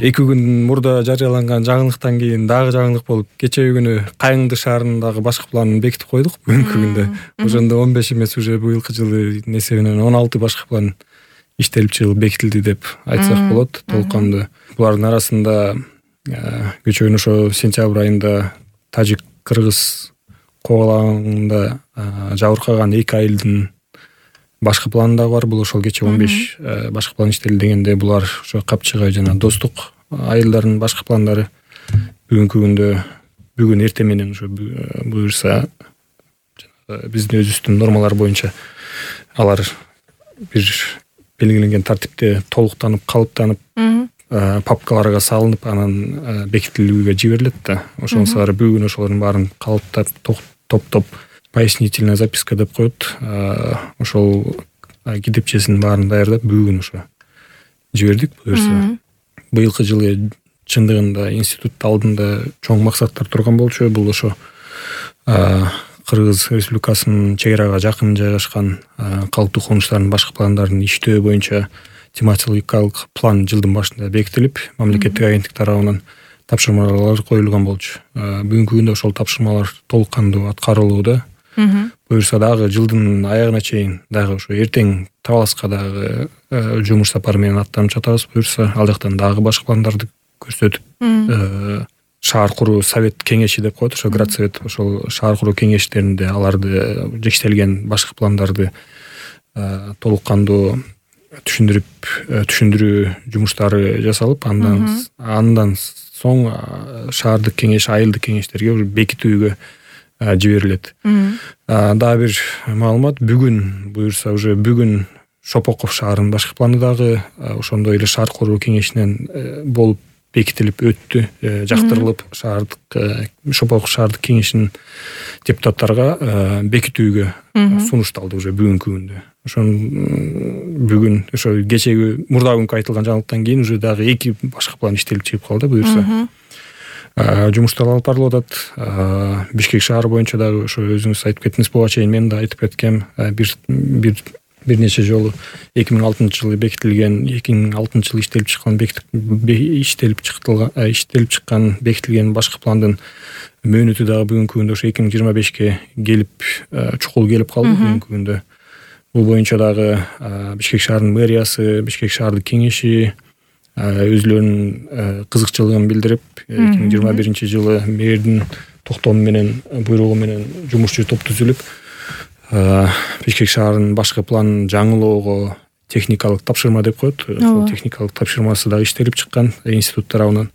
2 күн мурда жарыяланган жаңылыктан кийин дагы жаңылык болуп, кечеги күнү Кайыңды шаарындагы башкы планын бекитип койдук бүгүнкү күндө. Ошондо 15 эмес, уже быйылкы жылы несебинен 16 башкы план иштелип чыгып бекитилди деп айтсак болот толуккандуу. Булардын арасында көчөгөн ошо сентябрь айында Тажик-Кыргыз когалаңында жабыркаган 2 айылдын башкы планы дагы бар. Бул ошол кече 15 башкы план иштелди дегенде булар ошо Капчыгай жана Достук айылдарынын башкы пландары. Бүгүнкү күндө бүгүн эртең менен ошо буюрса биздин өзүбүздүн нормалар боюнча алар бир белгиленген тартипте толуктанып, калыптанып, папкаларга салынып, анан бекитилүүгө жиберилет да. Ошон сары бүгүн ошолордун баарын калыптап, топтоп пояснительная записка деп коет. Ошол китепчесинин баарын даярдап бүгүн ошо жибердик. Буюрса быйылкы жылы чындыгында институт алдында чоң максаттар турган болчу. Бул ошо Кыргыз Республикасынын чек арага жакын жайгашкан калктуу конуштардын башкы пландарын иштөө боюнча тематикалык план жылдын башында бекитилип, мамлекеттик агенттик тарабынан тапшырмалар коюлган болчу. Бүгүнкү күндө ошол тапшырмалар толук-кандуу аткарылууда. Буюрса дагы жылдын аягына чейин дагы ошо эртең Табаласка дагы жумуш сапары менен аттанып жатабыз. Буюрса ал жактан дагы башкы пландарды көрсөтүп, шаар куруу совет кеңеши деп коет, ошо градсовет, ошол шаар куруу кеңештеринде аларды иштелген башкы пландарды толук-кандуу түшүндүрүү жумуштары жасалып, андан соң шаардык кеңеш, айылдык кеңештерге уже бекитүүгө жиберилет. Дагы бир маалымат, бүгүн буюрса уже бүгүн Шопоков шаарынын башкы планы дагы ошондой эле шаар куруу кеңешинен болуп бекитилип өттү, жактырылып, Шопоков шаардык кеңешинин депутаттарга бекитүүгө сунушталды уже бүгүнкү күндө. Ошон бүгүн ошо кечеги мурда күнкү айтылган жаңылыктан кийин уже дагы 2 башкы план иштелип чыгып калды. Буюрса жумуштар алып барылып атат. Бишкек шаары боюнча дагы ошо өзүңүз айтып кеттиңиз, буга чейин мен да айтып кеткем. Бир нече жолу 2006-жылы бекитилген, 2006-жылы иштелип чыккан бекитилген башкы пландын мөөнөтү дагы бүгүнкү күндө ошо 2025-ке келип, чукул келип калды бүгүнкү күндө. Бул боюнча дагы Бишкек шаарынын мэриясы, Бишкек шаардык кеңеши өзүлөрүнүн кызыкчылыгын билдирип, 2021-жылы мэрдин токтому менен, буйругу менен жумушчу топ түзүлүп, Бишкек шаарынын башкы планын жаңылоого техникалык тапшырма деп коет. Ошол техникалык тапшырмасы дагы иштелип чыккан институт тарабынан.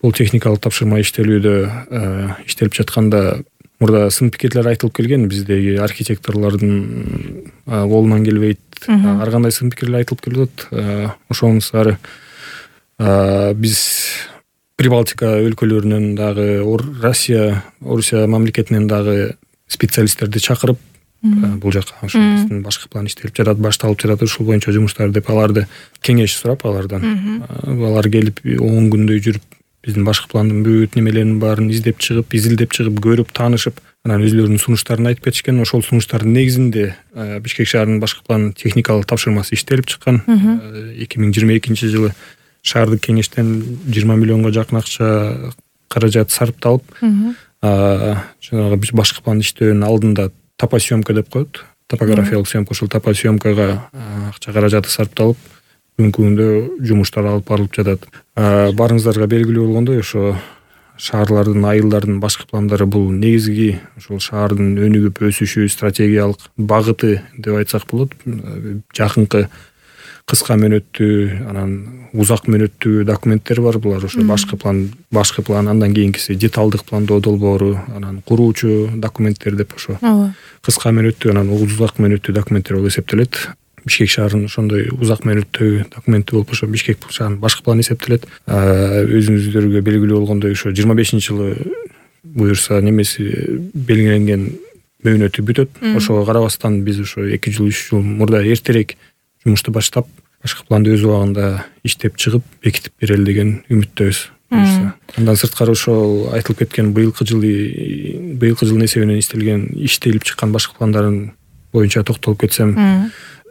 Бул техникалык тапшырма иштелүүдө иштелип жатканда мурда сын пикирлер айтылып келген, биздеги архитекторлордун колунан келбейт, ар кандай сын пикирлер айтылып келип атат. Ошонун сары биз Прибалтика өлкөлөрүнөн дагы, Орусия мамлекетинен дагы специалисттерди чакырып, бул жака ошо биздин башкы план иштелип жатат, башталып жатат, ушул боюнча жумуштар деп аларды кеңеш сурап, алардан алар келип 10 күндөй жүрүп, биздин башкы пландын бүт немелеринин баарын изилдеп чыгып, көрүп, таанышып, анан өзүлөрүнүн сунуштарын айтып кетишкен. Ошол сунуштардын негизинде Бишкек шаарынын башкы планын техникалык тапшырмасы иштелип чыккан. 2022-жылы шаардык кеңештен 20 миллионго жакын акча каражат сарпталып, жанагы башкы план иштөөнүн алдында топосъемка деп коет, топографиялык съемка, ошол топосъемкага акча каражаты сарпталып, бүгүнкү күндө жумуштар алып барылып жатат. Барыңыздарга белгилүү болгондой, ошо шаарлардын, айылдардын башкы пландары бул негизги ошол шаардын өнүгүп өсүшү, стратегиялык багыты деп айтсак болот. Жакынкы кыска мөөнөттүү, анан узак мөөнөттүү документтер бар. Булар ошо башкы план, андан кийинкиси деталдык пландоо долбоору, анан куруучу документтер деп ошо кыска мөөнөттүү, анан узак мөөнөттүү документтер болуп эсептелет. Бишкек шаарынын ошондой узак мөөнөттүү документи болуп, ошо Бишкек шаарынын башкы планы эсептелет. Өзүңүздөргө белгилүү болгондой, ошо 25-жылы буюрса немеси белгиленген мөөнөтү бүтөт. Ошого карабастан биз ошо 2 жыл, 3 жыл мурда эртерээк жумушту баштап, башкы планды өз убагында иштеп чыгып, бекитип берели деген үмүттөбүз. Андан сырткары ошол айтылып кеткен быйылкы жылдын эсебинен иштелип чыккан башкы пландардын боюнча токтолуп кетсем,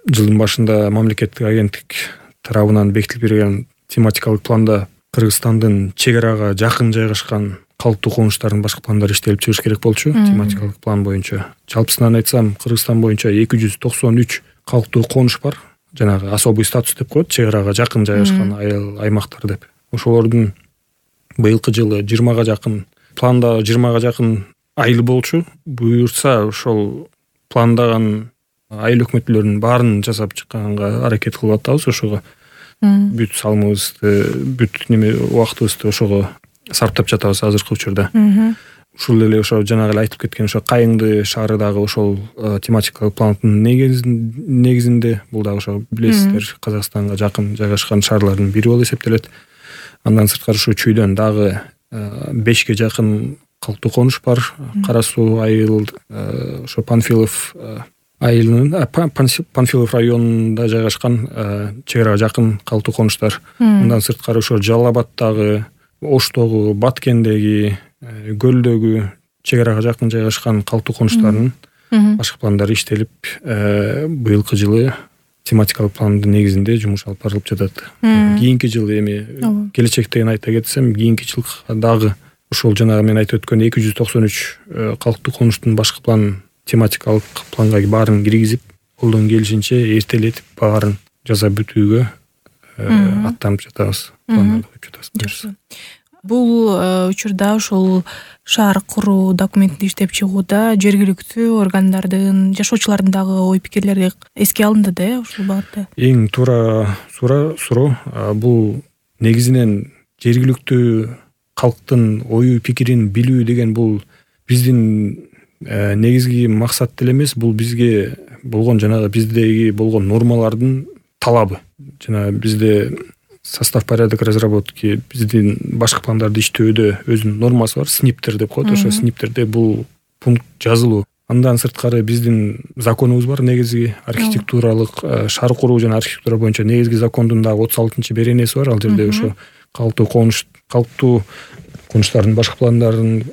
жылдын башында мамлекеттик агенттик тарабынан бекитилип берген тематикалык планда Кыргызстандын чек арага жакын жайгашкан калктуу конуштардын башкы пландары иштелип чыгыш керек болчу тематикалык план боюнча. Жалпысынан айтсам, Кыргызстан боюнча 293 калктуу конуш бар. Жанагы особый статус деп коет, чек арага жакын жайгашкан аймактар деп. Ошолордун быйылкы жылы 20га жакын, планда 20га жакын айыл болчу. Буюрса ошол пландаган айыл өкмөтлөрүнүн баарын жасап чыкканга аракет кылып атабыз. Ошого бүт салымыбызды, бүт убактыбызды ошого сарптап жатабыз азыркы учурда. Ушул эле ошо жанагы эле айтып кеткен ошо Кайыңды шаары дагы ошол тематикалык пландын негизинде, бул дагы ошо билесиздер, Казакстанга жакын жайгашкан шаарлардын бири болуп эсептелет. Андан сырткары ошо чүйдөн дагы 5ке жакын калктуу конуш бар. Кара Суу айыл, ошо Панфилов айылынын Панфилов районунда жайгашкан чек арага жакын калктуу конуштар. Андан сырткары ошо Жалал Абаддагы, Оштогу, Баткендеги, Көлдөгү чек арага жакын жайгашкан калктуу конуштардын башкы пландары иштелип, быйылкы жылы тематикалык пландын негизинде жумуш алып барылып жатат. Кийинки жылы эми келечектен айта кетсем, кийинки жылга дагы ошол жанагы мен айтып өткөн 293 калктуу конуштун башкы план тематикалык планга баарын киргизип, колдон келишинче эртелетип баарын жасап бүтүүгө аттанып жатабыз. Пландарды коюп жатабыз. Бул учурда ошол шаар куруу документин иштеп чыгууда жергиликтүү органдардын, жашоочулардын дагы ой пикирлери эске алынды да ушул багытта. Эң туура суроо. Бул негизинен жергиликтүү калктын ою пикирин билүү деген бул биздин негизги максат деле эмес, бул бизге болгон жанагы биздеги болгон нормалардын талабы. Жана бизде состав порядок разработки, биздин башкы пландарды иштөөдө өзүнүн нормасы бар, сниптер деп коет. Ошо сниптерде бул пункт жазылуу. Андан сырткары биздин законубуз бар, негизги архитектуралык, шаар куруу жана архитектура боюнча негизги закондун дагы 36-беренеси бар. Ал жерде ошо калктуу конуштардын башкы пландарын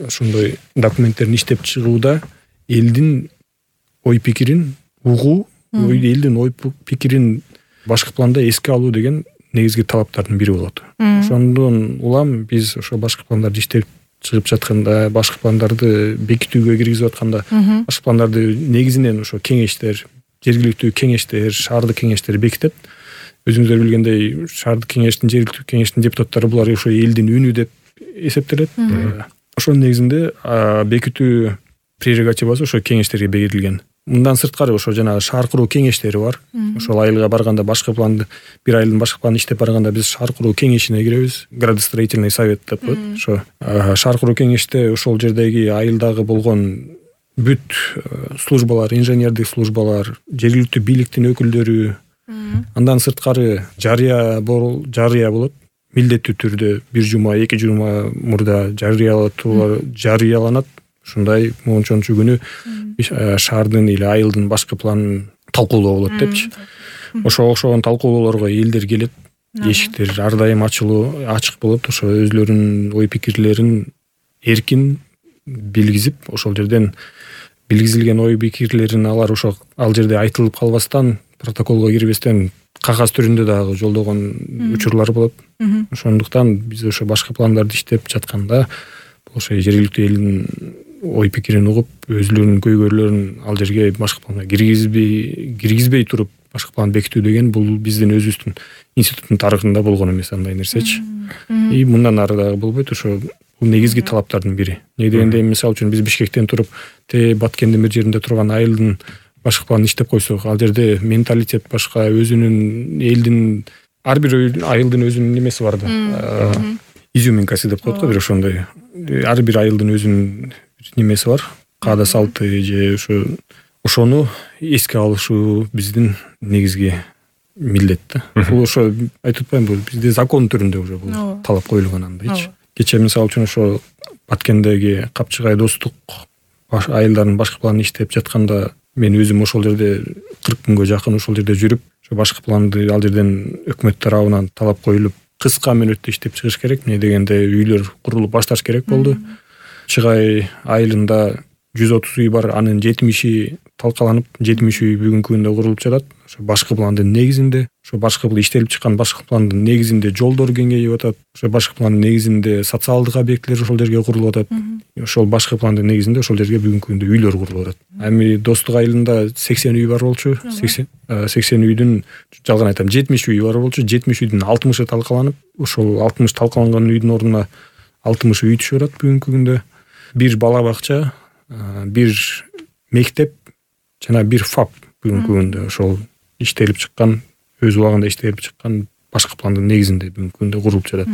ошондой документтерин иштеп чыгууда элдин ой пикирин угуу, элдин ой пикирин башкы планда эске алуу деген негизги талаптардын бири болот. Ошондон улам биз ошо башкы пландарды иштеп чыгып жатканда, башкы пландарды бекитүүгө киргизип атканда, башкы пландарды негизинен ошо кеңештер, жергиликтүү кеңештер, шаардык кеңештер бекитет. Өзүңүздөр билгендей, шаардык кеңештин, жергиликтүү кеңештин депутаттары булар ошо элдин үнү деп эсептелет. Ошонун негизинде бекитүү прерогативасы ошо кеңештерге берилген. Мындан сырткары ошо жанагы шаар куруу кеңештери бар. Ошол айылга барганда башкы планды, бир айылдын башкы планын иштеп барганда биз шаар куруу кеңешине киребиз. Градостроительный совет деп коет. Ошо шаар куруу кеңеште ошол жердеги айылдагы болгон бүт службалар, инженердик службалар, жергиликтүү бийликтин өкүлдөрү, андан сырткары жарыя болот. Милдеттүү түрдө 1 жума, 2 жума мурда жарыяланат. Ушундай моңчончу күнү шаардын или айылдын башкы планын талкуулоо болот депчи. Ошого талкуулоолорго элдер келет. Эшиктер ар дайым ачык болот. Ошо өзлөрүнүн ой пикирлерин эркин билгизип, ошол жерден билгизилген ой пикирлерин ал жерде айтылып калбастан, протоколго кирбестен кагаз түрүндө дагы жолдогон учурлар болот. Ошондуктан биз ошо башкы пландарды иштеп жатканда ошо жергиликтүү элдин ой пикирин угуп, өзлөрүнүн көйгөйлөрүн ал жерге башкы планга киргизбей туруп башкы план бекитүү деген бул биздин өзүбүздүн институттун тарыхында болгон эмес андай нерсечи. И мындан ары дагы болбойт. Ошо бул негизги талаптардын бири. Эмне дегенде, мисалы үчүн биз Бишкектен туруп Баткендин бир жеринде турган айылдын башкы планын иштеп койсок, ал жерде менталитет башка, өзүнүн элдин ар бир айылдын өзүнүн немеси бар да. Изюминкасы деп коет го, бир ошондой. Ар бир айылдын өзүнүн немеси бар. Каада салты же ошону эске алышуу биздин негизги милдет да. Бул ошо айтып атпаймынбы, бизде закон түрүндө уже бул талап коюлган андайчы. Кечээ мисалы үчүн ошо Баткендеги Капчыгай достук айылдардын башкы планын иштеп жатканда мен өзүм ошол жерде 40 күнгө жакын ошол жерде жүрүп, ошо башкы планды ал жерден өкмөт тарабынан талап коюлуп, кыска мөөнөттө иштеп чыгыш керек. Эмне дегенде, үйлөр курулуп башташ керек болду. Чыгай айылында 130 үй бар, анын 70 талкаланып 70 үй бүгүнкү күндө курулуп жатат. Ошо башкы пландын негизинде, ошо башкы иштелип чыккан башкы пландын негизинде жолдор кеңейип атат. Ошо башкы пландын негизинде социалдык объектилер ошол жерге курулуп атат. Ошол башкы пландын негизинде ошол жерге бүгүнкү күндө үйлөр курулуп атат. Эми Достук айылында 80 үй бар болчу. 80 үйдүн, жалган айтам, 70 үй бар болчу. 70 үйдүн 60-ы талкаланып, ошол 60 талкаланган үйдүн ордуна 60 үй түшүп атат бүгүнкү күндө. Бир бала бакча, бир мектеп жана бир ФАП бүгүнкү күндө ошол иштелип чыккан, өз убагында иштелип чыккан башкы пландын негизинде бүгүнкү күндө курулуп жатат.